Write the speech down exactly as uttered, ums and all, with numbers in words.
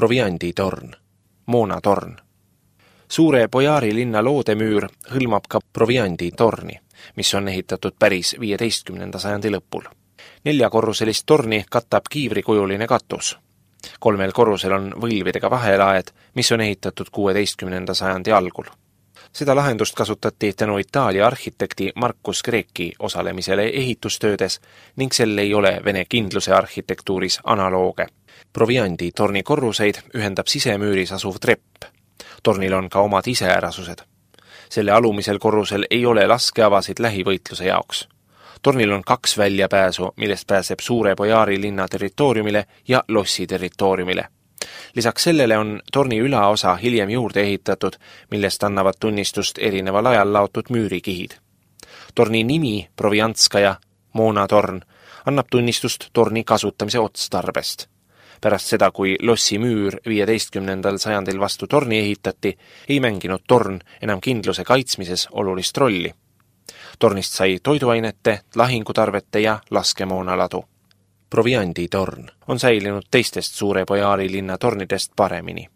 provianditorn, moonatorn. Suure Bojaari linna loodemüür hõlmab ka provianditorni, mis on ehitatud päris viieteistkümnenda sajandi lõpul. Neljakorruselist torni katab kiivrikujuline katus. Kolmel korrusel on võlvidega vahelaed, mis on ehitatud kuueteistkümnenda sajandi algul. Seda lahendust kasutati tänu Itaalia arhitekti Marcus Greki osalemisele ehitustöödes ning sel ei ole Vene kindluse arhitektuuris analooge. Proviandi torni korruseid ühendab sisemüüris asuv trepp. Tornil on ka omad iseärasused. Selle alumisel korrusel ei ole laskeavasid lähivõitluse jaoks. Tornil on kaks väljapääsu, millest pääseb Suure Bojaari linna territooriumile ja lossi territooriumile. Lisaks sellele on torni ülaosa hiljem juurde ehitatud, millest annavad tunnistust erineval ajal laotud müürikihid. Torni nimi, Proviantskaja, moonatorn, annab tunnistust torni kasutamise otstarbest. Pärast seda, kui lossi müür viieteistkümnendal sajandil vastu torni ehitati, ei mänginud torn enam kindluse kaitsmises olulist rolli. Tornist sai toiduainete, lahingutarvete ja laskemoonaladu. Provianditorn on säilinud teistest Suure Bojaari linna tornidest paremini.